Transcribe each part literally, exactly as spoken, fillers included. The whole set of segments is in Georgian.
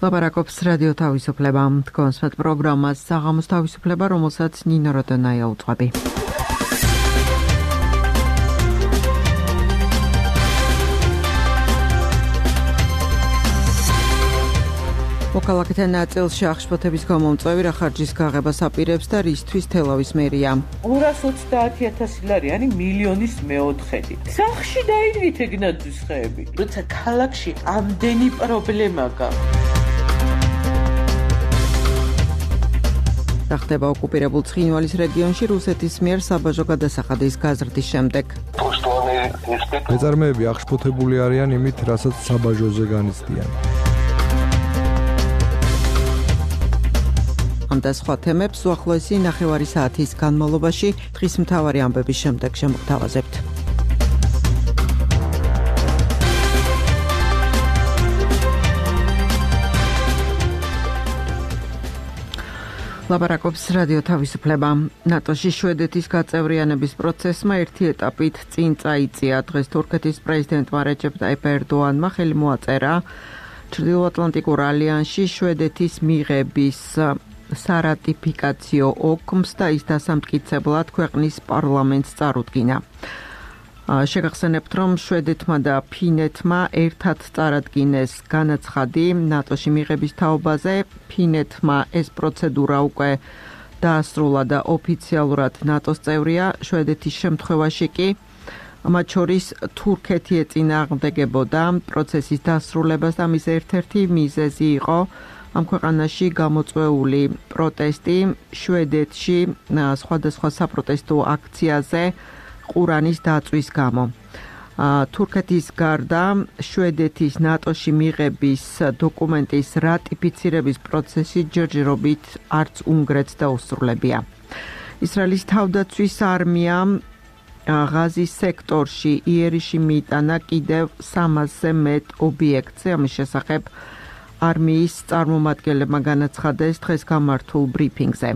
ლაპარაკობს რადიო თავისუფლება. თქვენს მეტ პროგრამას საღამოს თავისუფლება, რომელსაც ნინო როდონაია უძღვები. მოქალაქეთა ნაწილში აღშფოთების გამომწვევი რა ხარჯის გაღებას აპირებს და რისთვის თელავის მერია. ორას ოცდაათი ათასი ლარი არის მილიონის მეოთხედი. სახში დაინვით ეგნაძის ხეები. როცა ქალაქში ამდენი პრობლემა გაქვს. ხდება ოკუპირებულ ცხინვალის რეგიონში რუსეთის მიერ საბაჟო გადასახადის გაზრდის შემდეგ. მეწარმეები აღშფოთებული არიან იმით, რასაც საბაჟოზე განიცდიან. ამ და სხვა თემებს უახლოესი ნახევარი საათის განმავლობაში დღის მთავარი ამბების შემდეგ შემოგთავაზებთ. ლაპარაკობს რადიო თავისუფლება. ნატოში შვედეთის გაწევრიანების პროცესმა ერთი ეტაპით წინ წაიწია. დღეს თურქეთის პრეზიდენტმა რეჯეპ ტაიპ ერდოანმა ხელი მოაწერა ჩრდილოატლანტიკურ ალიანსში შვედეთის მიღების სარატიფიკაციო ოკმს და ის დასამტკიცებლად ქვეყნის პარლამენტს წარუდგინა. შეგახსენებთ, რომ შვედეთმა და ფინეთმა ერთად წარადგინეს განაცხადი ნატოში მიღების თაობაზე. ფინეთმა ეს პროცედურა უკვე დაასრულა და ოფიციალურად ნატოს წევრია. შვედეთის შემთხვევაში კი მათ შორის თურქეთი ეწინააღმდეგებოდა პროცესის დასრულებას და მის ერთ-ერთი მიზეზი იყო ამ ქვეყანაში გამოწვეული პროტესტი შვედეთში სხვადასხვა საპროტესტო აქციაზე ყურანის დაწვის გამო. თურქეთის გარდა შვედეთის ნატოში მიღების დოკუმენტის რატიფიცირების პროცესი ჯერჯერობით არც უნგრეთს დაუსრულებია. ისრაელის თავდაცვის არმიამ ღაზის სექტორში იერიში მიიტანა კიდევ სამასზე მეტ ობიექტზე. ამის შესახებ არმიის წარმომადგენლებმა განაცხადეს დღეს გამართულ ბრიფინგზე.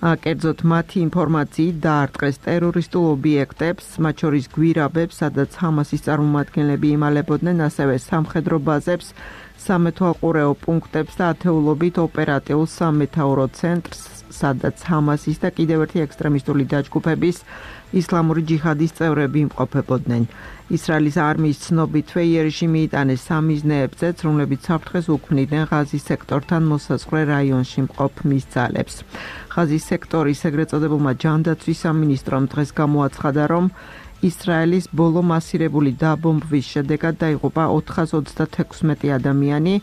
კერძოდ მათი ინფორმაციით დაარტყეს ტერორისტულ ობიექტებს, მათ შორის გვირაბებს, სადაც ჰამასის წარმომადგენლები იმალებოდნენ, ასევე სამხედრო ბაზებს, სამეთვალყურეო პუნქტებს და ათეულობით ოპერატიულ სამეთაურო ცენტრს, სადაც ჰამასის და კიდევ ერთი ექსტრემისტული დაჯგუფების ისლამური ჯიჰადის წევრები იმყოფებოდნენ. ისრაელის არმიის ცნობითვე იერიში მიიტანეს სამიზნეებზეც, რომლებიც საფრთხეს უქმნიდნენ ღაზის სექტორთან მოსაზღვრე რაიონში მყოფ მის ძალებს. ღაზის სექტორის ეგრეთ წოდებულმა ჯანდაცვის სამინისტრომ დღეს გამოაცხადა, რომ ისრაელის ბოლო მასირებული დაბომბვის შედეგად დაიღუპა ოთხას ოცდათექვსმეტი ადამიანი,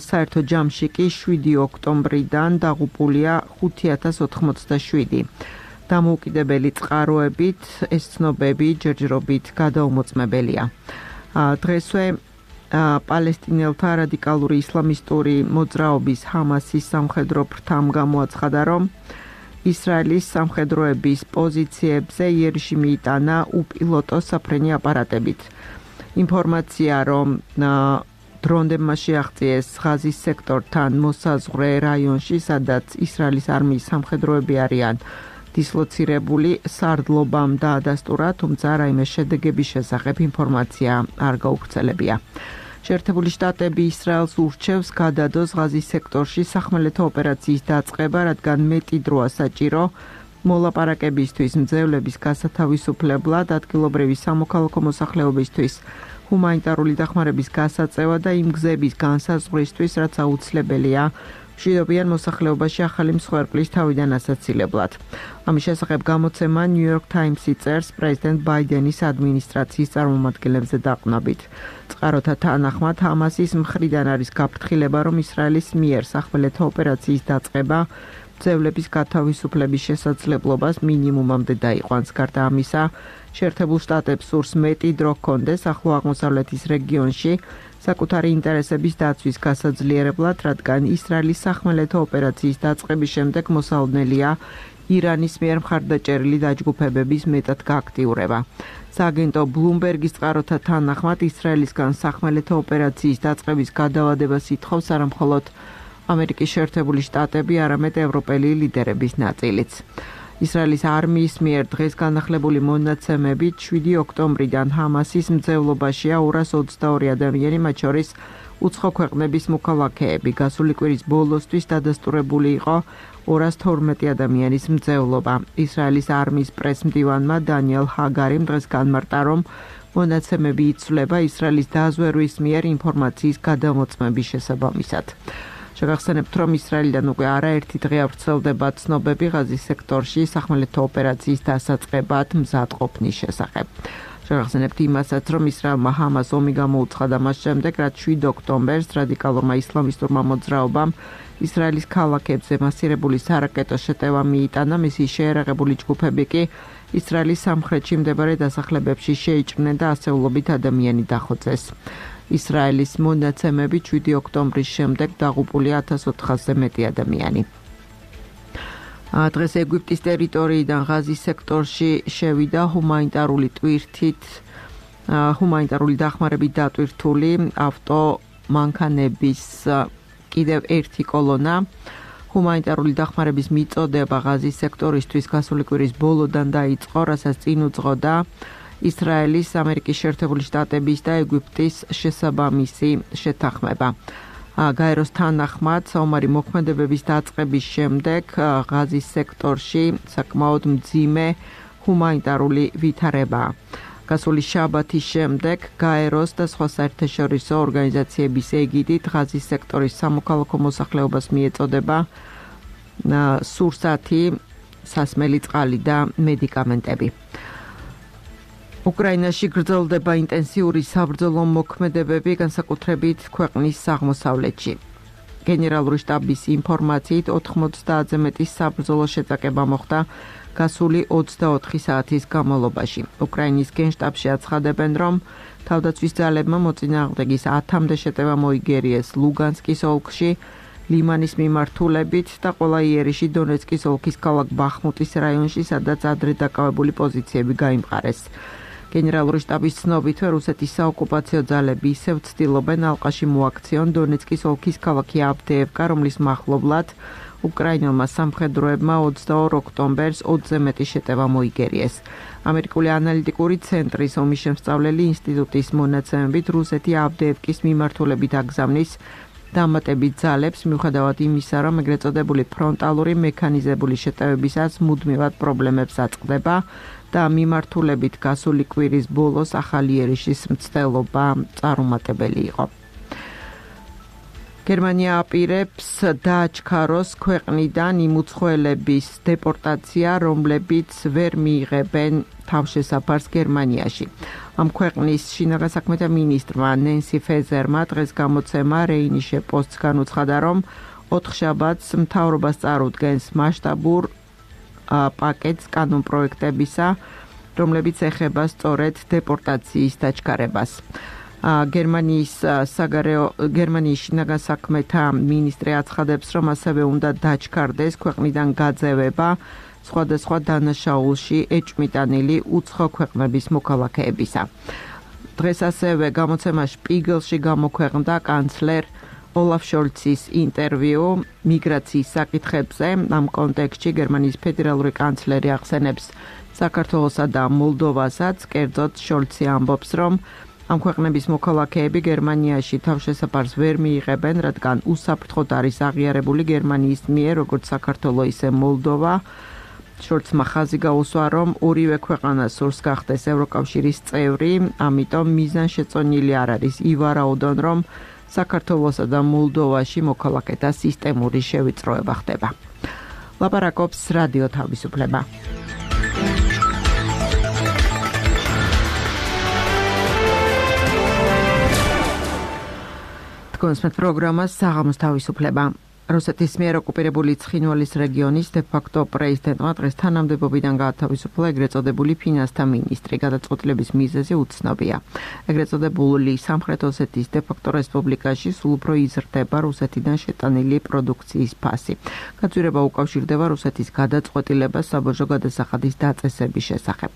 საერთო ჯამში კი შვიდი ოქტომბრიდან დაღუპულია ხუთი ათას ოთხმოცდაშვიდი. დამოუკიდებელი წყაროებით ეს ცნობები ჯერჯერობით გადაუმოწმებელია. დღესვე პალესტინელთა რადიკალური ისლამისტური მოძრაობის ჰამასის სამხედრო ფრთამ გამოაცხადა, რომ ისრაელის სამხედროების პოზიციებზე იერიში მიიტანა უპილოტო საფრენი აპარატებით. ინფორმაცია, რომ დრონდებმა შეაღწიეს ღაზის სექტორთან მოსაზღვრე რაიონში, სადაც ისრაელის არმიის სამხედროები არიან დისლოცირებული, სარდლობამ დაადასტურა, თუმცა რაიმე შედეგების შესახებ ინფორმაცია არ გაუვრცელებია. შეერთებული შტატები ისრაელს ურჩევს გადადოს ღაზის სექტორში სახმელეთო ოპერაციის დაწყება, რადგან მეტი დროა საჭირო მოლაპარაკებისთვის, მძევლების გასათავისუფლებლად, ადგილობრივი სამოქალაქო მოსახლეობისთვის, ჰუმანიტარული დახმარების გასაწევა და იმ გზების განსაზღვრისთვის, რაც აუცილებელია მშვიდობიან მოსახლეობაში ახალი მსხვერპლის თავიდან ასაცილებლად. ამის შესახებ გამოცემა New York Times-ი წერს პრეზიდენტ ბაიდენის ადმინისტრაციის წარმომადგენლებზე დაყნობით. წყაროთა თანახმად ჰამასის მხრიდან არის გაფრთხილება, რომ ისრაელის მიერ სახმელეთო ოპერაციის დაწყება მძევლების გათავისუფლების შესაძლებლობას მინიმუმამდე დაიყვანს. გარდა ამისა, შეერთებულ შტატებს სურს მეტი დრო ჰქონდეს ახლო აღმოსავლეთის რეგიონში საკუთარი ინტერესების დაცვის გასაძლიერებლად, რადგან ისრაელის სახმელეთო ოპერაციის დაწყების შემდეგ მოსალოდნელია ირანის მიერ მხარდაჭერილი დაჯგუფებების მეტად გააქტიურება. სააგენტო ბლუმბერგის წყაროთა თანახმად ისრაელისგან სახმელეთო ოპერაციის დაწყების გადავადებას ითხოვს არა მხოლოდ ამერიკის შეერთებული შტატები, არამედ ევროპელი ლიდერების ნაწილიც. ისრაელის არმიის მიერ დღეს განახლებული მონაცემებით შვიდი ოქტომბრიდან ჰამასის მძევლობაშია ორას ოცდაორი ადამიანი, მათ შორის უცხო ქვეყნების მოქალაქეები. გასული კვირის ბოლოსთვის დადასტურებული იყო ორას თორმეტი ადამიანის მძევლობა. ისრაელის არმიის პრესმდივანმა დანიელ ჰაგარიმ დღეს განმარტა, რომ მონაცემები იცვლება ისრაელის დაზვერვის მიერ ინფორმაციის გადამოწმების შესაბამისად. შეგახსენებთ, რომ ისრაელიდან უკვე არაერთი დღე ვრცელდება ცნობები ღაზის სექტორში სახმელეთო ოპერაციის დასაწყებად მზადყოფნის შესახებ. შეგახსენებთ იმასაც, რომ ისრაელმა ჰამას ომი გამოუცხადა მას შემდეგ, რაც შვიდ ოქტომბერს რადიკალურმა ისლამისტურმა მოძრაობამ ისრაელის ქალაქებზე მასირებული სარაკეტო შეტევა მიიტანა, მისი შეერაღებული ჯგუფები კი ისრაელის სამხრეთში მდებარე დასახლებებში შეიჭრნენ და ასეულობით ადამიანი დახოცეს. ისრაელის მონაცემებით შვიდი ოქტომბრის შემდეგ დაღუპულია ათას ოთხასზე მეტი ადამიანი. დღეს ეგვიპტის ტერიტორიიდან ღაზის სექტორში შევიდა ჰუმანიტარული ტვირთით, ჰუმანიტარული დახმარებით დატვირთული ავტომანქანების კიდევ ერთი კოლონა. ჰუმანიტარული დახმარების მიწოდება ღაზის სექტორისთვის გასული კვირის ბოლოდან დაიწყო, რასაც წინ უძღოდა ისრაელის, ამერიკის შეერთებული შტატების და ეგვიპტის შესაბამისი შეთანხმება. გაეროს თანახმად, საომარი მოქმედებების დაწყების შემდეგ ღაზის სექტორში საკმაოდ მძიმე ჰუმანიტარული ვითარებაა. გასული შაბათის შემდეგ გაეროს და სხვა საერთაშორისო ორგანიზაციების ეგიდით ღაზის სექტორის სამოქალაქო მოსახლეობას მიეწოდება სურსათი, სასმელი წყალი და მედიკამენტები. უკრაინაში გრძელდება ინტენსიური საბრძოლო მოქმედებები, განსაკუთრებით ქვეყნის აღმოსავლეთში. გენერალური შტაბის ინფორმაციით ოთხმოცდაათზე მეტი საბრძოლო შეტაკება მოხდა გასული ოცდაოთხი საათის განმავლობაში. უკრაინის გენშტაბში აცხადებენ, რომ თავდაცვის ძალებმა მოწინააღმდეგის ათამდე შეტევა მოიგერიეს ლუგანსკის ოლქში, ლიმანის მიმართულებით და ყველა იერიში დონეცკის ოლქის ქალაქ ბახმუტის რაიონში, სადაც ადრე დაკავებული პოზიციები გაიმყარეს. გენერალური შტაბის ცნობითვე რუსეთის საოკუპაციო ძალები ისევ ცდილობენ ალყაში მოაქციონ დონეცკის ოლქის ქალაქი ავდეევკა, რომლის მახლობლად უკრაინელმა სამხედროებმა ოცდაორ ოქტომბერს ოცზე მეტი შეტევა მოიგერიეს. ამერიკული ანალიტიკური ცენტრის ომის შემსწავლელი ინსტიტუტის მონაცემებით რუსეთი ავდეევკის მიმართულებით აგზავნის დამატებით ძალებს, მიუხედავად იმისა, რომ ეგრეთ წოდებული ფრონტალური მექანიზებული შეტევებისას მუდმივად პრობლემებს აწყდება და მიმართულებით გასული კვირის ბოლოს ახალი იერიშის მცდელობა წარუმატებელი იყო. გერმანია აპირებს დააჩქაროს ქვეყნიდან იმ უცხოელების დეპორტაცია, რომლებიც ვერ მიიღებენ თავშესაფარს გერმანიაში. ამ ქვეყნის შინაგან საქმეთა მინისტრმა ნენსი ფეზერმა დღეს გამოცემა რეინიშე პოსტს განუცხადა, რომ ოთხშაბათს მთავრობას წარუდგენს მასშტაბურ პაკეტს კანონპროექტებისა, რომლებიც ეხება სწორედ დეპორტაციის დაჩქარებას. გერმანიის საგარეო გერმანიის შინაგან საქმეთა მინისტრი აცხადებს, რომ ასევე უნდა დაჩქარდეს ქვეყნიდან გაძევება სხვადასხვა დანაშაულში ეჭვმიტანილი უცხო ქვეყნების მოქალაქეებისა. დღეს ასევე გამოცემა შპიგელში გამოქვეყნდა კანცლერ ოლაფ შოლცის ინტერვიუ მიგრაციის საკითხებზე. ამ კონტექსტში გერმანიის ფედერალური კანცლერი ახსენებს საქართველოსა და მოლდოვასაც, კერძოდ შოლცი ამბობს, რომ ამ ქვეყნების მოქალაქეები გერმანიაში თავშესაფარს ვერ მიიღებენ, რადგან უსაფრთხოდ არის აღიარებული გერმანიის მიერ, როგორც საქართველო, ისე მოლდოვა. შოლცმა ხაზი გაუსვა, რომ ორივე ქვეყანა სურს გახდეს ევროკავშირის წევრი, ამიტომ მიზანშეწონილი არ არის ივარაუდონ, რომ საქართველოსა და მოლდოვაში მოქალაქეთა სისტემური შევიწროება ხდება. ლაპარაკობს რადიო თავისუფლება. თქვენს პროგრამას საღამოს თავისუფლება. რუსეთის მიერ ოკუპირებული ცხინვალის რეგიონის დე-ფაქტო პრეზიდენტმა დღეს თანამდებობიდან გაათავისუფლა ეგრეთ წოდებული ფინანსთა მინისტრი. გადაწყვეტილების მიზეზი უცნობია. ეგრეთ წოდებული სამხრეთ ოსეთის დე-ფაქტო რესპუბლიკაში სულ უფრო იზრდება რუსეთიდან შეტანილი პროდუქციის ფასი. გაწირება უკავშირდება რუსეთის გადაწყვეტილებას საბოჟო გადასახადის დაწესების შესახებ.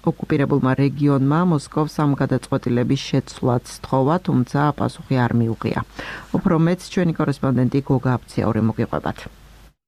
ოკუპირებულმა რეგიონმა მოსკოვს ამ გადაწყვეტილების შეცვლაც სთხოვა, თუმცა პასუხი არ მიუღია. უფრო მეც ჩვენი კორესპონდენტი გოგა აფციაური მოგიყვებათ.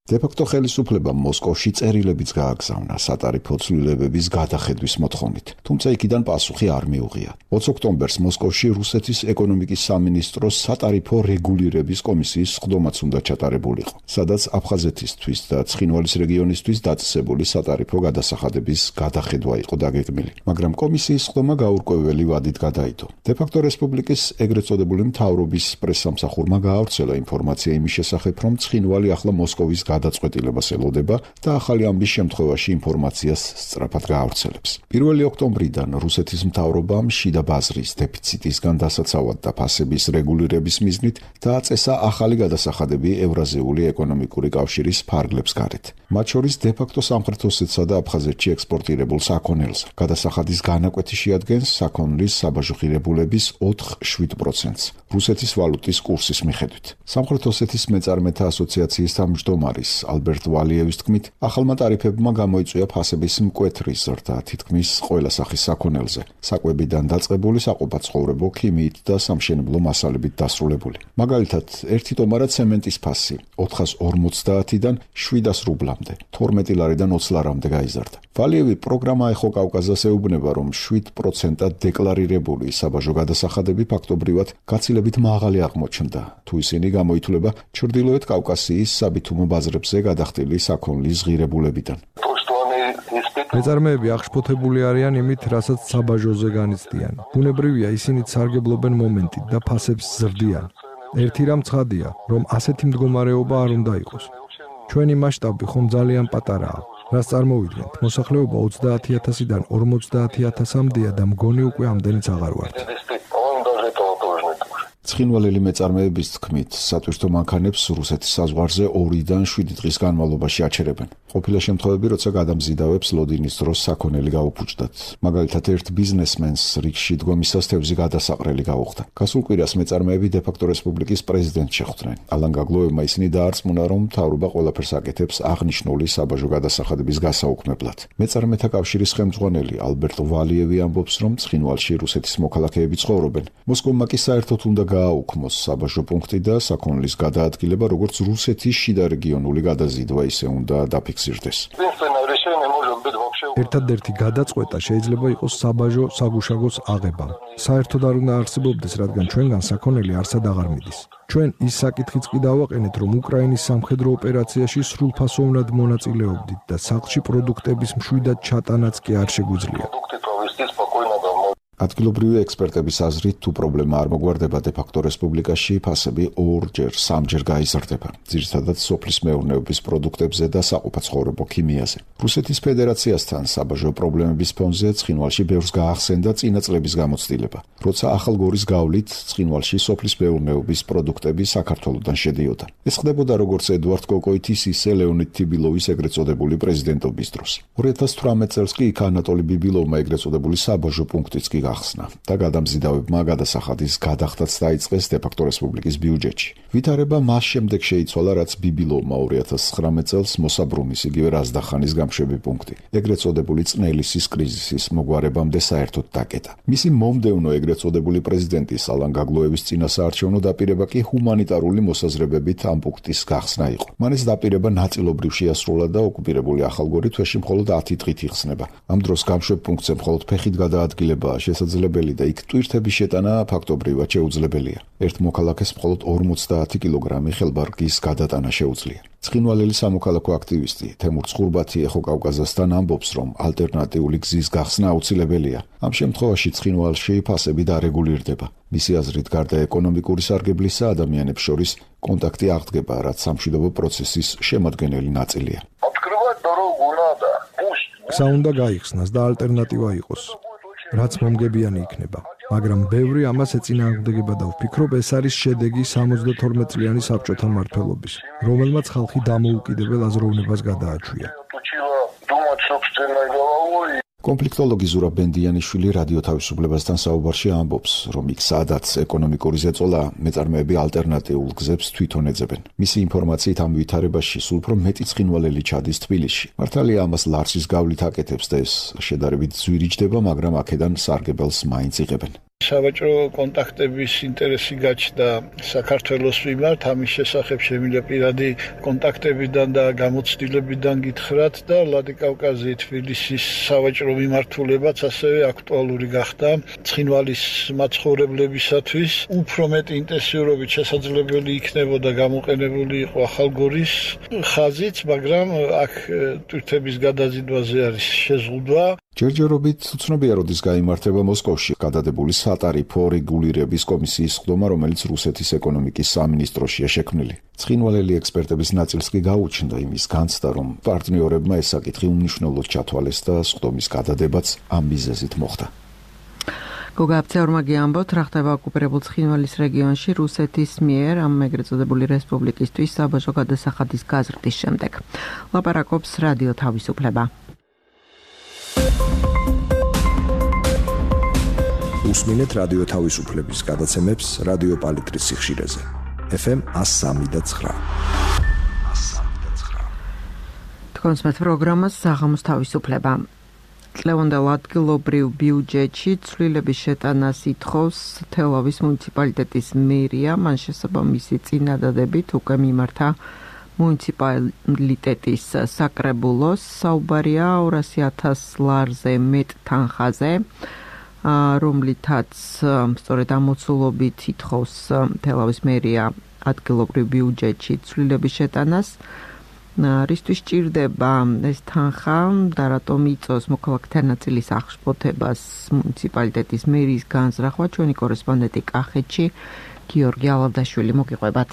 დე-ფაქტო ხელისუფლებამ მოსკოვში წერილებიც გააგზავნა სატარიფო ცვლილებების გადახედვის მოთხოვნით, თუმცა იქიდან პასუხი არ მიუღია. ოცი ოქტომბერს მოსკოვში რუსეთის ეკონომიკის სამინისტროს სატარიფო რეგულირების კომისიის სხდომაც უნდა ჩატარებულიყო, სადაც აფხაზეთისთვის და ცხინვალის რეგიონისთვის დაწესებული სატარიფო გადასახადების გადახედვა იყო დაგეგმილი, მაგრამ კომისიის სხდომა გაურკვეველი ვადით გადაიდო. დე-ფაქტო რესპუბლიკის ეგრეთ წოდებული მთავრობის პრესსამსახურმა გაავრცელა ინფორმაცია იმის შესახებ, რომ ცხინვალი ახლა მოსკოვის გადაწყვეტილებას ელოდება და ახალი ამბის შემთხვევაში ინფორმაციას სწრაფად გაავრცელებს. პირველი ოქტომბრიდან რუსეთის მთავრობამ შიდა ბაზრის დეფიციტისგან დასაცავად და ფასების რეგულირების მიზნით დააწესა ახალი გადასახადები ევრაზიული ეკონომიკური კავშირის ფარგლებს გარეთ. მათ შორის დე-ფაქტო სამხრეთ ოსეთსა და აფხაზეთში ექსპორტირებულ საქონელს. გადასახადის განაკვეთი შეადგენს საქონლის საბაჟო ღირებულების ოთხ შვიდ პროცენტს რუსეთის ვალუტის კურსის მიხედვით. სამხრეთ ოსეთის მეწარმეთა ასოციაციის თავმჯდომარის ალბერტ ვალიევის თქმით, ახალმა ტარიფებმა გამოიწვია ფასების მკვეთრი ზრდა თითქმის ყველა სახის საქონელზე, საკვებიდან დაწყებული საყოფაცხოვრებო, ქიმიით და სამშენებლო მასალებით დასრულებული. მაგალითად, ერთი ტომარა ცემენტის ფასი ოთხას ორმოცდაათიდან შვიდას რუბლამდე, თორმეტი ლარიდან ოცი ლარამდე გაიზარდა. ვალიევი პროგრამა ეხო კავკაზას ეუბნება, რომ შვიდ პროცენტად დეკლარირებული საბაჟო გადასახადები ფაქტობრივად გაცილებით მაღალი აღმოჩნდა, თუ ისინი გამოითვლება ჩრდილოეთ კავკასიის საბითუმო ბაზრებზე გადახდილი საქონლის ღირებულებიდან. მეწარმეები აღშფოთებული არიან იმით, რასაც საბაჟოზე განიცდიან. ბუნებრივია, ისინი სარგებლობენ მომენტით და ფასებს ზრდიან. ერთი რამ ცხადია, რომ ასეთი მდგომარეობა არ უნდა იყოს. ჩვენი მასშტაბი ხომ ძალიან პატარაა. რას წარმოვიდგენთ, მოსახლეობა ოცდაათი ათასიდან ორმოცდაათი ათასამდეა და მგონი უკვე ამდენიც აღარ ვართ. ცხინვალელი მეწარმეების თქმით, სატვირთო მანქანებს რუსეთის საზღვარზე ორიდან შვიდი დღის განმავლობაში აჩერებენ. ყოფილა შემთხვევები, როცა გადამზიდავებს ლოდინის დროს საქონელი გაუფუჭდათ. მაგალითად, ერთ ბიზნესმენს რიგში დგომისას თევზი გადასაყრელი გაუხდა. გასულ კვირას მეწარმეები დე-ფაქტო რესპუბლიკის პრეზიდენტს შეხვდნენ. ალან გაგლოევმა ისინი დაარწმუნა, რომ მთავრობა ყველაფერს აკეთებს აღნიშნული საბაჟო გადასახადების გასაუქმებლად. მეწარმეთა კავშირის ხელმძღვანელი ალბერტ ვალიევი ამბობს, რომ ცხინვალში რუსეთის მოქალაქეები ცხოვრობენ. მოსკოვმა კი საერთოდ უნდა გააუქმოს საბაჟო პუნქტი და საქონლის გადაადგილება, როგორც რუსეთის შიდა რეგიონული გადაზიდვა ისე უნდა დაფიქსირდეს. ერთადერთი გადაწყვეტა შეიძლება იყოს საბაჟო საგუშაგოს აღება. საერთოდ არ უნდა არსებობდეს, რადგან ჩვენგან საქონელი არსად აღარ მიდის. ჩვენ ის საკითხიც კი დავაყენეთ, რომ უკრაინის სამხედრო ოპერაციაში სრულფასოვნად მონაწილეობდით და სახლში პროდუქტების მშვიდად ჩატანაც კი არ შეგვიძლია. ადგილობრივი ექსპერტების აზრით, თუ პრობლემა არ მოგვარდება დე-ფაქტო რესპუბლიკაში, ფასები ორჯერ, სამჯერ გაიზრდება, ძირითადად სოფლის მეურნეობის პროდუქტებზე და საყოფაცხოვრებო ქიმიაზე. რუსეთის ფედერაციასთან საბაჟო პრობლემების ფონზე ცხინვალში ბევრს გაახსენდა წინა წლების გამოცდილება, როცა ახალგორის გავლით ცხინვალში სოფლის მეურნეობის პროდუქტები საქართველოდან შედიოდა. ეს ხდებოდა როგორც ედუარდ კოკოითის, ისე ლეონიდ თიბილოვის ეგრეთ წოდებული პრეზიდენტობის დროს. ორი ათას თვრამეტ წელს კი იქ ანატოლი ბიბილოვმა ეგრეთ წოდებული საბაჟო პუნქტიც კი გახსნა და გადამზიდავებმა გადასახადის გადახდაც დაიწყეს დე-ფაქტო რესპუბლიკის ბიუჯეტში. ვითარება მას შემდეგ შეიცვალა, რაც ბიბილოვმა ორი ათას ცხრამეტ წელს მოსაბრუნის იგივე რაზდახანის გამშვები პუნქტი, ეგრეთ წოდებული წნელისის კრიზისის მოგვარებამდე საერთოდ დაკეტა. მისი მომდევნო ეგრეთ წოდებული პრეზიდენტის ალან გაგლოევის წინასაარჩევნო დაპირება კი ჰუმანიტარული მოსაზრებებით ამ პუნქტის გახსნა იყო. მან ეს დაპირება ნაწილობრივ შეასრულა და ოკუპირებული ახალგორი თვეში მხოლოდ ათი დღით იხსნება. ამ დროს გამშვებ პუნქტზე მხოლოდ ფეხით გადაადგილებაა შესაძლებელი და იქ ტვირთების შეტანა ფაქტობრივად შეუძლებელია. ერთ მოქალაქეს მხოლოდ ორმოცდაათი კილოგრამი ხელბარგის გადატანა შეუძლია. ცხინვალელი სამოქალაქო აქტივისტი თემურ ცხურბათი ეხო კავკაზასთან ამბობს, რომ ალტერნატიული გზის გახსნა აუცილებელია. ამ შემთხვევაში ცხინვალში ფასები დარეგულირდება. მისი აზრით, გარდა ეკონომიკური სარგებლისა, ადამიანებს შორის კონტაქტი აღდგება, რაც სამშვიდობო პროცესის შემადგენელი ნაწილია. გზა უნდა გაიხსნას და ალტერნატივა იყოს, რაც მომგებიანი იქნება. მაგრამ ბევრი ამას ეწინააღმდეგება და ვფიქრობ, ეს არის შედეგი სამოცდათორმეტ წლიანი საბჭოთა მმართველობის, რომელმაც ხალხი დამოუკიდებელ აზროვნებას გადააჩვია. კონფლიქტოლოგი ზურაბ ბენდიანიშვილი რადიო თავისუფლებასთან საუბარში ამბობს, რომ იქ სადაც ეკონომიკური ზეწოლა, მეწარმეები ალტერნატიულ გზებს თვითონ ეძებენ. მისი ინფორმაციით ამ ვითარებაში სულ უფრო მეტი ცხინვალელი ჩადის თბილისში. მართალია ამას ლარსის გავლით აკეთებს და ეს შედარებით ძვირი ჯდება, მაგრამ აქედან სარგებელს მაინც იღებენ. სავაჭრო კონტაქტების ინტერესი გაჩნდა საქართველოს მიმართ, ამის შესახებ შემიძლია პირადი კონტაქტებიდან და გამოცდილებიდან გითხრათ და ვლადიკავკაზი თბილისის სავაჭრო მიმართულებაც ასევე აქტუალური გახდა ცხინვალის მაცხოვრებლებისათვის. უფრო მეტი ინტენსიურობით შესაძლებელი იქნებოდა გამოყენებული იყო ახალგორის ხაზიც, მაგრამ აქ თვითების გადაზიდვაზე არის შეზღუდვა. ჯერჯერობით უცნობია როდის გაიმართება მოსკოვში გადადებული სატარიფო რეგულირების კომისიის ხდომა, რომელიც რუსეთის ეკონომიკის სამინისტროშია შექმნილი. ცხინვალელი ექსპერტების ნაწილს კი გაუჩნდა იმის განცდა, რომ პარტნიორებმა ეს საკითხი უმნიშვნელოდ ჩათვალეს და ხდომის გადადებაც ამ მიზეზით მოხდა. გოგა აბცეურმაგი ამბობთ, რა ხდება ოკუპირებულ ცხინვალის რეგიონში რუსეთის მიერ ამ ეგრეთ წოდებული რესპუბლიკისთვის საბაჟო გადასახადის გაზრდის შემდეგ. ლაპარაკობს რადიო თავისუფლება. უსმინეთ რადიო თავისუფლების გადაცემებს რადიო პალიტრის სიხშირეზე. ეფ ემ one oh three და nine. თქვენს მე პროგრამას საღამოს თავისუფლება. წლევანდელ ადგილობრივ ბიუჯეტში ცვლილების შეტანას ითხოვს თელავის მუნიციპალიტეტის მერია, მან შესაბამისი წინადადებით უკვე მიმართა მუნიციპალიტეტის საკრებულოს. საუბარია ორასი ათას ლარზე მეტ თანხაზე, რომლითაც სწორედ ამოცულობით ითხოვს თელავის მერია ადგილობრივ ბიუჯეტში ცვლილების შეტანას. რისთვის ჭირდება ეს თანხა და რატომ იწვევს მოქალაქეთა ნაწილის აღშფოთებას მუნიციპალიტეტის მერიის განზრახვა, ჩვენი კორესპონდენტი კახეთში გიორგი ალავდაშვილი მოგიყვებათ.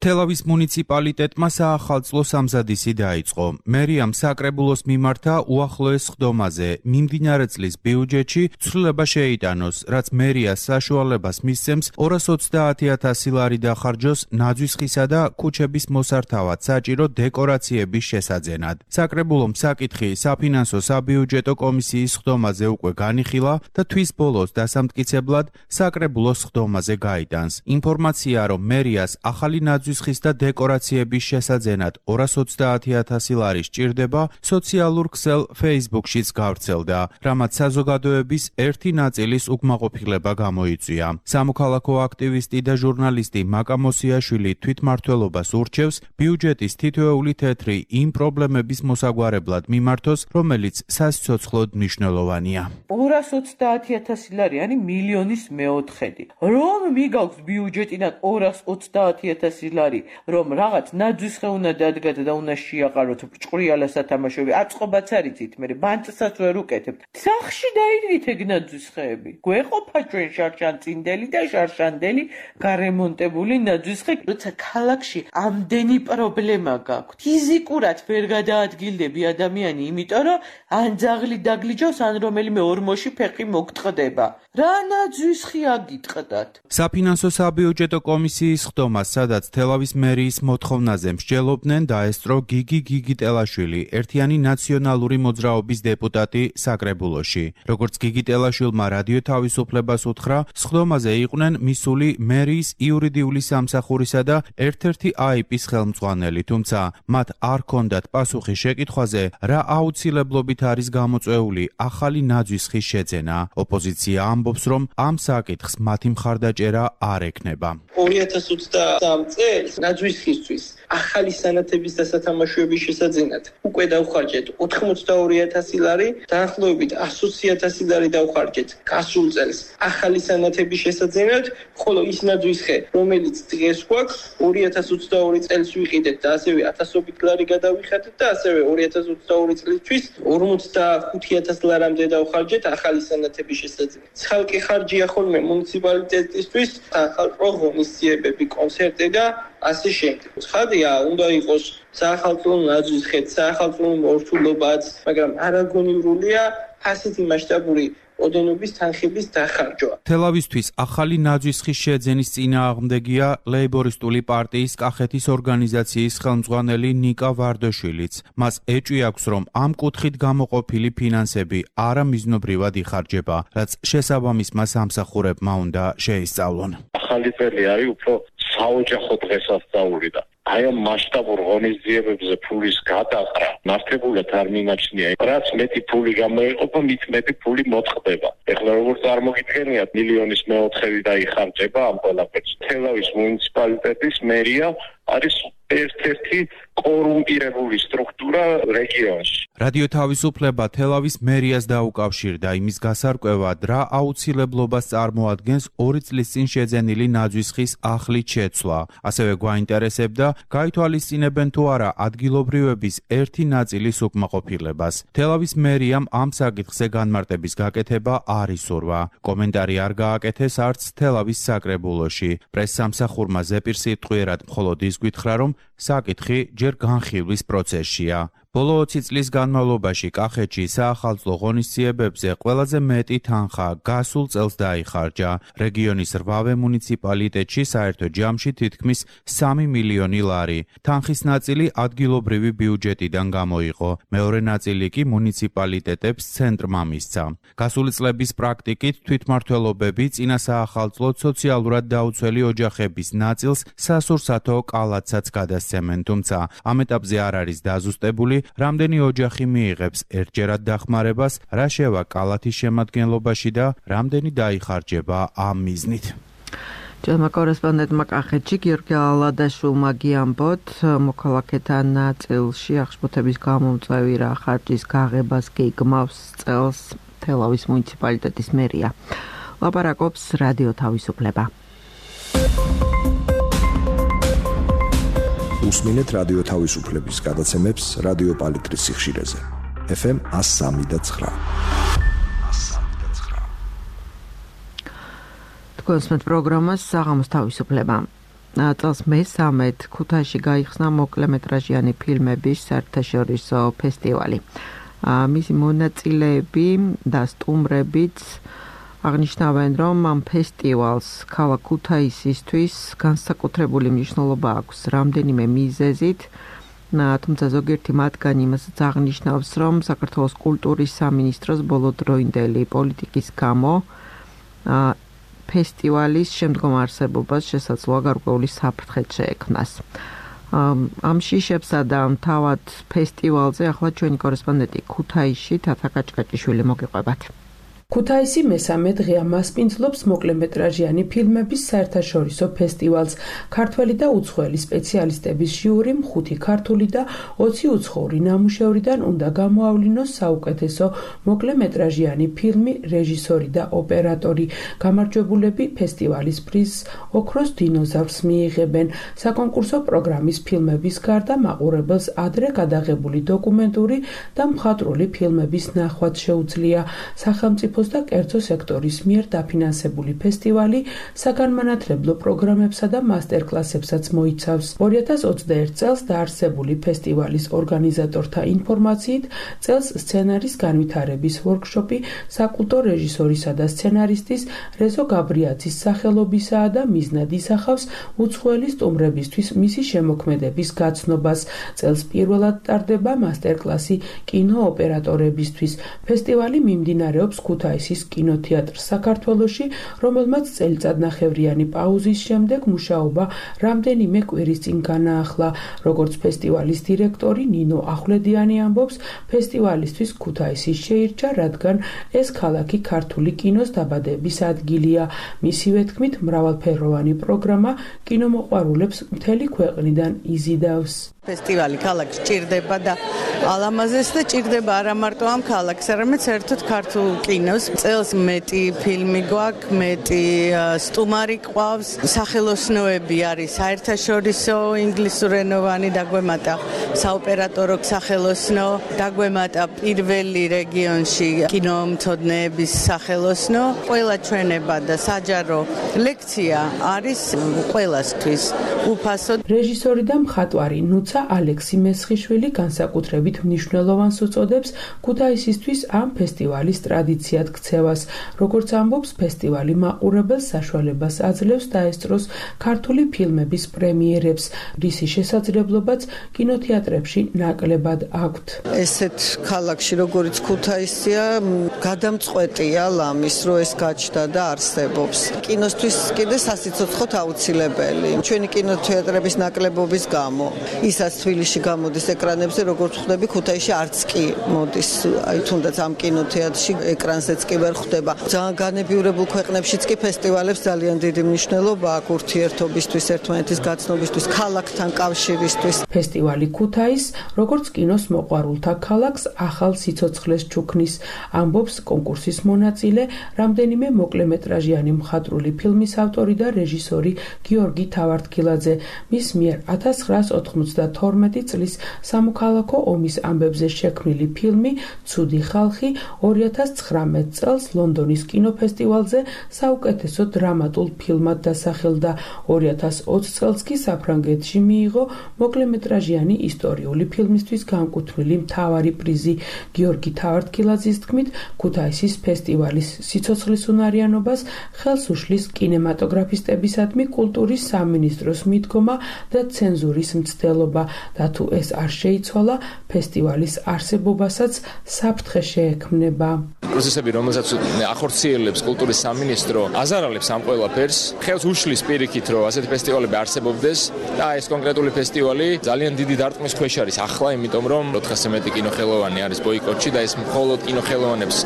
თელავის მუნიციპალიტეტმა საახალწლო სამზადისი დაიწყო. მერიამ საკრებულოს მიმართა უახლოეს ხდომაზე მიმდინარე წლის ბიუჯეტში ცვლილება შეიტანოს, რაც მერიას საშუალებას მისცემს ორას ოცდაათი ათასი ლარი დახარჯოს ნაძვის ხისა და ქუჩების მოსართავად საჭირო დეკორაციების შესაძენად. საკრებულომ საკითხი საფინანსო საბიუჯეტო კომისიის ხდომაზე უკვე განიხილა და თვის ბოლოს დასამტკიცებლად საკრებულოს ხდომაზე გაიტანს. ინფორმაცია, რომ მერიას ახალი ნაძვის ხის და დეკორაციების შესაძენად ორას ოცდაათი ათასი ლარი სჭირდება, სოციალურ ქსელ Facebook-შიც გავრცელდა, რამაც საზოგადოების ერთი ნაწილის უკმაყოფილება გამოიწვია. სამოქალაქო აქტივისტი და ჟურნალისტი მაკა მოსიაშვილი თვითმმართველობას ურჩევს ბიუჯეტის თითოეული თეთრი იმ პრობლემების მოსაგვარებლად მიმართოს, რომელიც სასიცოცხლოდ მნიშვნელოვანია. ორას ოცდაათი ათასი ლარი, yani მილიონის მეოთხედი. რომ მიგაქვს ბიუჯეტიდან ორას ოცდაათი ათასი ლარი, რომ რაღაც ნაძვის ხე უნდა დადგათ და უნდა შეაყაროთ ჭყრიალა სათამაშოები, აწყობაც არიცით, მე ბანტსაც ვერ უკეთებთ. სახში დაიდვით ეგ ნაძვის ხეები. გვეყოფა ჩვენ შარშანწინდელი და შარშანდელი გარემონტებული ნაძვის ხე, როცა ქალაქში ამდენი პრობლემა გაქვთ. ფიზიკურად ვერ გადაადგილდები ადამიანი, იმიტომ რომ ან ძაღლი დაგლიჯავს, ან რომელიმე ორმოში ფეხი მოგტყდება. რა ნაძვის ხე აგიტყდათ? საფინანსო საბიუჯეტო კომისიის ხდომა, სადაც თელავის მერიის მოთხოვნაზე მსჯელობდნენ, დაესწრო გიგი გიგიტელაშვილი, ერთიანი ნაციონალური მოძრაობის დეპუტატი საკრებულოში. როგორც გიგიტელაშვილმა რადიო თავისუფლებას უთხრა, ხდომაზე იყვნენ მისული მერიის იურიდიული სამსახურისა და ერთ-ერთი აიპის ხელმძღვანელი, თუმცა მათ არ ჰქონდათ პასუხი შეკითხვაზე, რა აუცილებლობით არის გამოწვეული ახალი ნაძვის ხის შეძენა. ოპოზიცია ამბობს, რომ ამ საკითხს მათი მხარდაჭერა არ ექნება. ორი ათას ოცდაათი წელს ნაძვის ხისთვის ახალი სანათების და სათამაშოების შესაძენად უკვე დავხარჯეთ ოთხმოცდაორი ათასი ლარი, დაახლოებით ასი ათასი ლარი დავხარჯეთ გასულ წელს ახალი სანათების შესაძენად, ხოლო ის ნაძვის ხე, რომელიც დღეს გვაქვს, ორი ათას ოცდაორი წელს ვიყიდეთ და ასევე ათასობით ლარი გადავიხადეთ და ასევე ორი ათას ოცდაორი წლისთვის ორმოცდახუთი ათასი ლარამდე დავხარჯეთ ახალი სანათების შესაძენად. ხალხი ხარჯია ხოლმე მუნიციპალიტეტისთვის, ხალხო ღონისძიებები, კონცერტი და ასე შემდეგ. ცხადია, უნდა იყოს საახალწლო ნაძვის ხე, საახალწლო მორთულობაც, მაგრამ არაგონიურულია ასეთი მასშტაბური ოდენობის თანხების დახარჯვა. თელავისთვის ახალი ნაძვის ხის შეძენის წინააღმდეგია ლეიბორისტული პარტიის კახეთის ორგანიზაციის ხელმძღვანელი ნიკა ვარდაშვილიც. მას ეჭვი აქვს, რომ ამ კუთხით გამოყოფილი ფინანსები არამიზნობრივად იხარჯება, რაც შესაბამისმა სამსახურებმა უნდა შეისწავლონ. ახალი წელი არის უფრო საოჯახო დღესასწაული და აი ამ მასშტაბურ ღონისძიებებზე ფულის გადაყრა მართებულად არ მიმაჩნია. რაც მეტი ფული გამოიყოფა, მით მეტი ფული მოწყდება. ეხლა როგორ წარმოგიდგენიათ, მილიონის მეოთხედი დაიხარჯება ამ ყველაფერს. თელავის მუნიციპალიტეტის მერია არის ერთ-ერთი კორუმპირებული სტრუქტურა რეგიონში. რადიო თავისუფლება თელავის მერიას დაუკავშირდა იმის გასარკვევად, რა აუცილებლობას წარმოადგენს ორი წლის წინ შეძენილი ნაძვის ხის ახლით შეცვლა. ასევე გვაინტერესებდა, გაითვალისწინებენ თუ არა ადგილობრივების ერთი ნაწილის უკმაყოფილებას. თელავის მერიამ ამ საკითხზე განმარტების გაკეთება არ ისურვა. კომენტარი არ გააკეთეს არც თელავის საკრებულოში. პრესსამსახურმა ზეპირ სიტყვიერად მხოლოდ ის გითხრა, რომ საკითხი ჯერ განხილვის პროცესშია. ბოლო ოცი წლის განმავლობაში კახეთში საახალწლო ღონისძიებებზე ყველაზე მეტი თანხა გასულ წელს დაიხარჯა. რეგიონის რვავე მუნიციპალიტეტში საერთო ჯამში თითქმის სამი მილიონი ლარი. თანხის ნაწილი ადგილობრივი ბიუჯეტიდან გამოიყო. მეორე ნაწილი კი მუნიციპალიტეტებს ცენტრმა მისცა. გასული წლების პრაქტიკით თვითმმართველობები წინა საახალწლოდ სოციალურად დაუცველი ოჯახების ნაწილს სასურსათო კალათსაც გადასცემენ, თუმცა ამ ეტაპზე არ არის დაზუსტებული რამდენი ოჯახი მიიღებს ერთჯერად დახმარებას, რა შევა კალათის შემადგენლობაში და რამდენი დაიხარჯება ამ მიზნით. ჯერმა კორესპონდენტმა კახეთში გიორგი ალადაშვილმა გიამბოთ, მოქალაქეთა ნაწილში აღშფოთების გამომწვევი რა ხარჯის გაღებას გეგმავს წელს თელავის მუნიციპალიტეტის მერია. ლაპარაკობს რადიო თავისუფლება. უსმინეთ რადიო თავისუფლების გადაცემებს რადიო პალიტრის სიხშირეზე. ეფ ემ one oh three point nine. თქვენს პროგრამას საღამოს თავისუფლება. წელს მესამედ ქუთაისში გაიხსნა მოკლემეტრაჟიანი ფილმების საერთაშორისო ფესტივალი. მისი მონაწილეები და სტუმრებიც აღნიშნავენ, რომ ამ ფესტივალს ქალაქ ქუთაისისთვის განსაკუთრებული მნიშვნელობა აქვს რამდენიმე მიზეზით, თუმცა ზოგიერთი მათგანი იმასაც აღნიშნავს, რომ საქართველოს კულტურის სამინისტროს ბოლოდროინდელი პოლიტიკის გამო ფესტივალის შემდგომ არსებობას შესაძლოა გარკვეული საფრთხე შეექმნას. ამ შიშებსა და თავად ფესტივალზე ახლა ჩვენი კორესპონდენტი ქუთაისში თათა კაჭკაჭიშვილი მოგიყვებათ. ქუთაისი მესამე დღეა მასპინძლობს მოკლემეტრაჟიანი ფილმების საერთაშორისო ფესტივალს. ქართველი და უცხოელი სპეციალისტების ჟიურიმ ხუთი ქართული და ოცი უცხოური ნამუშევრიდან უნდა გამოავლინოს საუკეთესო მოკლემეტრაჟიანი ფილმი, რეჟისორი და ოპერატორი. გამარჯვებულები ფესტივალის პრიზს ოქროს დინოზავრს მიიღებენ. საკონკურსო პროგრამის ფილმების გარდა მაყურებელს ადრე გადაღებული დოკუმენტური და მხატვრული ფილმების ნახვაც შეუძლია. სახელმწიფო და კერძო სექტორის მიერ დაფინანსებული ფესტივალი საგანმანათლებლო პროგრამებსა და მასტერკლასებსაც მოიცავს. ორი ათას ოცდაერთ წელს დაარსებული ფესტივალის ორგანიზატორთა ინფორმაციით, წელს სცენარის განვითარების ვორქშოპი საკულტო რეჟისორისა და სცენარისტის რეზო გაბრიაძის სახელობისაა და მიზნად ისახავს უცხოელი სტუმრებისთვის მისი შემოქმედების გაცნობას. წელს პირველად ტარდება მასტერკლასი კინოოპერატორებისთვის. ფესტივალი მიმდინარეობს ქუთაისის კინოთეატრ საქართველოში, რომელმაც წელიწადნახევრიანი პაუზის შემდეგ მუშაობა რამდენიმე კვირის წინ განაახლა. როგორც ფესტივალის დირექტორი ნინო ახვლედიანი ამბობს, ფესტივალისთვის ქუთაისი შეირჩა, რადგან ეს ქალაქი ქართული კინოს დაბადების ადგილია. მისივე თქმით, მრავალფეროვანი პროგრამა კინომოყვარულებს მთელი ქვეყნიდან იზიდავს. ფესტივალი ქალაქს ჭირდება და ალამაზეს და ჭირდება არა მარტო ამ ქალაქს, არამედ საერთოდ ქართულ კინოს. წელს მეტი ფილმი გვაქვს, მეტი სტუმარი ყავს, სახელოსნოები არის საერთაშორისო ინგლისურენოვანი დაგვემატა საოპერატორო სახელოსნო, დაგვემატა პირველი რეგიონში კინომცოდნეების სახელოსნო. ყველა ჩვენება და საჯარო ლექცია არის ყველასთვის უფასო. რეჟისორი და მხატვარი ნუცა ალექსი მესხიშვილი განსაკუთრებით მნიშვნელოვანს უწოდებს ქუთაისისთვის ამ ფესტივალის ტრადიციად ზუსტად ქცევას. Როგორც ამბობს, ფესტივალი მაყურებელს საშუალებას აძლევს დაესწროს ქართული ფილმების პრემიერებს, რისი შესაძლებლობაც კინოთეატრებში ნაკლებად აქვთ. ესეთ ქალაქში როგორც ქუთაისია, გადამწყვეტია ლამის, რომ ეს გაჩნდა და არსებობს. კინოსთვის კიდე სასიცოცხლოდ აუცილებელი. ჩვენი კინოთეატრების ნაკლებობის გამო, ისაც თბილისში გამოდის ეკრანებზე, როგორც ხვდები, ქუთაისში არც კი მოდის. აი თუნდაც ამ კინოთეატრში ეკრანზეც კი ვერ ხვდება. ძალიან განებიურებულ ქვეყნებშიც კი ფესტივალებს ძალიან დიდი მნიშვნელობა აქვს ურთიერთობისთვის, ერთმანეთის გაცნობისთვის, ქალაქთან კავშირისთვის. ფესტივალი ქუთაის, როგორც კინოს მოყვარულთა ქალაქს, ახალ სიცოცხლეს ჩუქნის, ამბობს კონკურსის მონაწილე, რამდენიმე მოკლემეტრაჟიანი მხატვრული ფილმის ავტორი და რეჟისორი გიორგი თავართქილაძე. მის მიერ ათას ცხრაას ოთხმოცდათორმეტი წლის სამოქალაქო ომის ამბებზე შექმნილი ფილმი „ცუდი ხალხი“ ორი ათას ცხრამეტ წელს ლონდონის კინოფესტივალზე საუკეთესო დრამატულ ფილმად დასახელდა. ორი ათას ოცი წელს კი საფრანგეთში მიიღო მოკლემეტრაჟიანი ისტორიული ფილმისთვის განკუთვნილი მთავარი პრიზი. გიორგი თავართქილაძის თქმით, ქუთაისის ფესტივალის სიცოცხლის უნარიანობას ხელს უშლის კინემატოგრაფისტებისადმი კულტურის სამინისტროს მიდგომა და ცენზურის მცდელობა და თუ ეს არ შეიცვალა, ფესტივალის არსებობასაც საფრთხე შეექმნება. პროცესები, რომელსაც ახორციელებს კულტურის სამინისტრო, აზარალებს ამ ყველაფერს, ხელს უშლის პირიქით, რომ ასეთი ფესტივალები არსებობდეს და ეს კონკრეტული ფესტივალი ძალიან დიდი დარტყმის ქვეშ არის ახლა, იმიტომ რომ ოთხასზე მეტი კინოხელოვანი არის ბოიკოტში და ეს მხოლოდ კინოხელოვანებს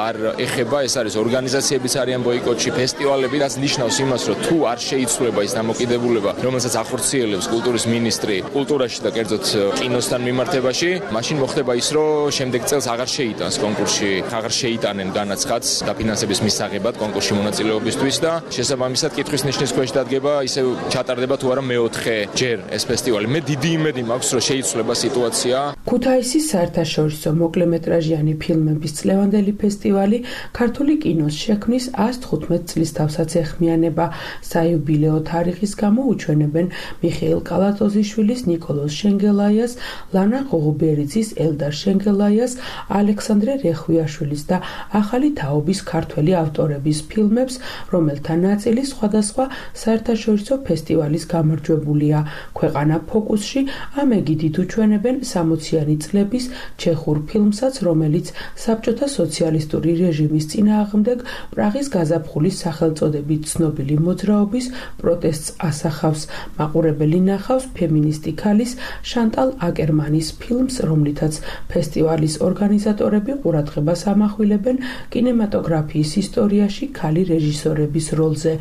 არ ეხება, ეს არის ორგანიზაციებიც არიან ბოიკოტში, ფესტივალები, რაც ნიშნავს იმას, რომ თუ არ შეიცვლება ის დამოკიდებულება, რომელსაც ახორციელებს კულტურის მინისტრი კულტურაში და კერძოდ კინოსთან მიმართებაში, მაშინ მოხდება ის, რომ შემდეგ წელს აღარ შეიტანს კონკურსში, აღარ შეიტანენ განაცხადს დაფინანსების მისაღებად კონკურსში მონაწილეობისთვის და შესაბამისად კითხვის ნიშნის ქვეშ დადგება, ისე ჩატარდება თუ არა მეოთხე ჯერ ეს ფესტივალი. მე დიდი იმედი მაქვს, რომ შეიცვლება სიტუაცია. ქუთაისის საერთაშორისო მოკლემეტრაჟიანი ფილმების წლევანდელი ფესტივალი ქართული კინოს შექმნის ას თხუთმეტ წლის თავსაც ეხმიანება. საიუბილეო თარიღის გამო უჩვენებენ მიხეილ კალატოზიშვილის, ნიკოლოზ შენგელაიას, ლანა ღოღუბერიძის, ელდარ შენგელაიას, ალექსანდრე რეხვიაშვილის და ახალი თაობის ქართველი ავტორების ფილმებს, რომელთა ნაწილი სხვადასხვა საერთაშორისო ფესტივალის გამარჯვებულია. ქვეყანა ფოკუსში ამ ეგიდით უჩვენებენ სამოციანი წლების ჩეხურ ფილმსაც, რომელიც საბჭოთა სოციალისტური რეჟიმის წინააღმდეგ პრაღის გაზაფხულის სახელწოდებით ცნობილი მოძრაობის პროტესტს ასახავს. მაყურებელი ნახავს ფემინისტი ქალის შანტალ აკერმანის ფილმს, რომლითაც ფესტივალის ორგანიზატორები ყურადღებას ამახვილებენ კინემატოგრაფიის ისტორიაში ქალი რეჟისორების როლზე.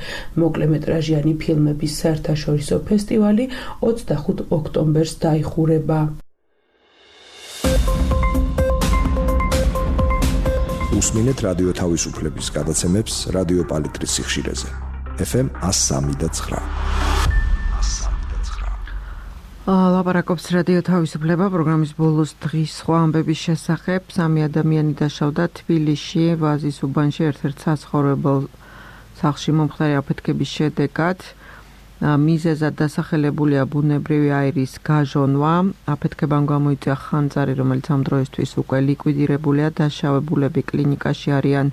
მოკლემეტრაჟიანი ფილმების საერთაშორისო ფესტივალი ოცდახუთ ოქტომბერს დაიხურება. უსმინეთ რადიო თავისუფლების გადაცემებს რადიო პალიტრის სიხშირეზე. ეფ ემ ას სამი და ცხრა. ლაპარაკობს რადიო თავისუფლება პროგრამის ბოლოს დღის სხვა ამბების შესახებ. სამი ადამიანი დაშავდა თბილისში ვაზის უბანში ერთ-ერთ საცხოვრებელ სახლში მომხდარი აფეთქების შედეგად. მიზეზად დასახელებულია ბუნებრივი აირის გაჟონვა. აფეთქებამ გამოიწვია ხანძარი, რომელიც ამ დროისთვის უკვე ლიკვიდირებულია. დაშავებულები კლინიკაში არიან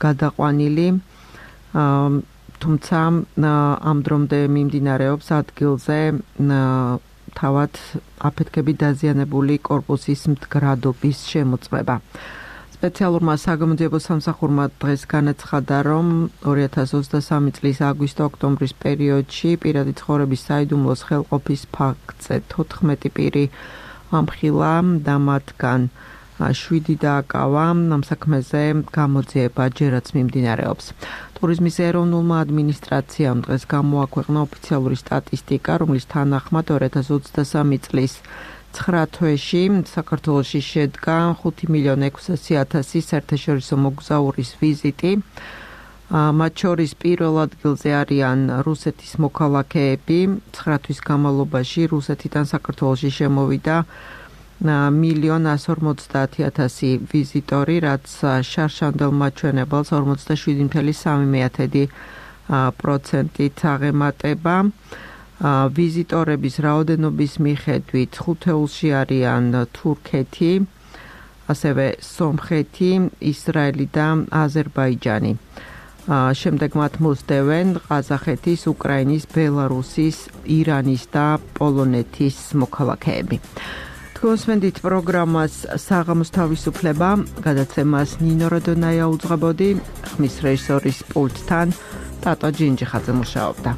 გადაყვანილი. თუმცა ამ დრომდე მიმდინარეობს ადგილზე თავად აფეთქები დაზიანებული კორპუსის მდგრადობის შემოწმება. სპეციალურმა საგამოძიებო სამსახურმა დღეს განაცხადა, რომ ორი ათას ოცდასამი წლის აგვისტო-ოქტომბრის პერიოდში პირადი ცხოვრების საიდუმლოს ხელყოფის ფაქტზე თოთხმეტი პირი ამხილა და მათგან შვიდი დააკავა. ამ საქმეზე გამოძიება ჯერაც მიმდინარეობს. ტურიზმის ეროვნულმა ადმინისტრაციამ დღეს გამოაქვეყნა ოფიციალური სტატისტიკა, რომლის თანახმად ორი ათას ოცდასამი წლის ცხრა თვეში საქართველოში შედგა ხუთი მილიონი ექვსასი ათასი საერთაშორისო მოგზაურის ვიზიტი. მათ შორის პირველ ადგილზე არიან რუსეთის მოქალაქეები. ცხრა თვის განმავლობაში რუსეთიდან საქართველოში შემოვიდა მილიონ ასი ორმოცდაათი ათასი ვიზიტორი, რაც შარშანდელ მაჩვენებელს ორმოცდაშვიდი მცდელობა სამი პროცენტით აღემატება. ვიზიტორების რაოდენობის მიხედვით ხუთეულში არიან თურქეთი, ასევე სომხეთი, ისრაელი და აზერბაიჯანი. შემდეგ მათ მოსდევენ ყაზახეთის, უკრაინის, ბელარუსის, ირანის და პოლონეთის მოქალაქეები. თქვენსმენდით პროგრამას საღამოს თავისუფლება, გადაცემას ნინო როდონაია უძღვებოდი, ხმის რეჟისორის პულტთან ტატო ჯინჯიხაძე მუშაობდა.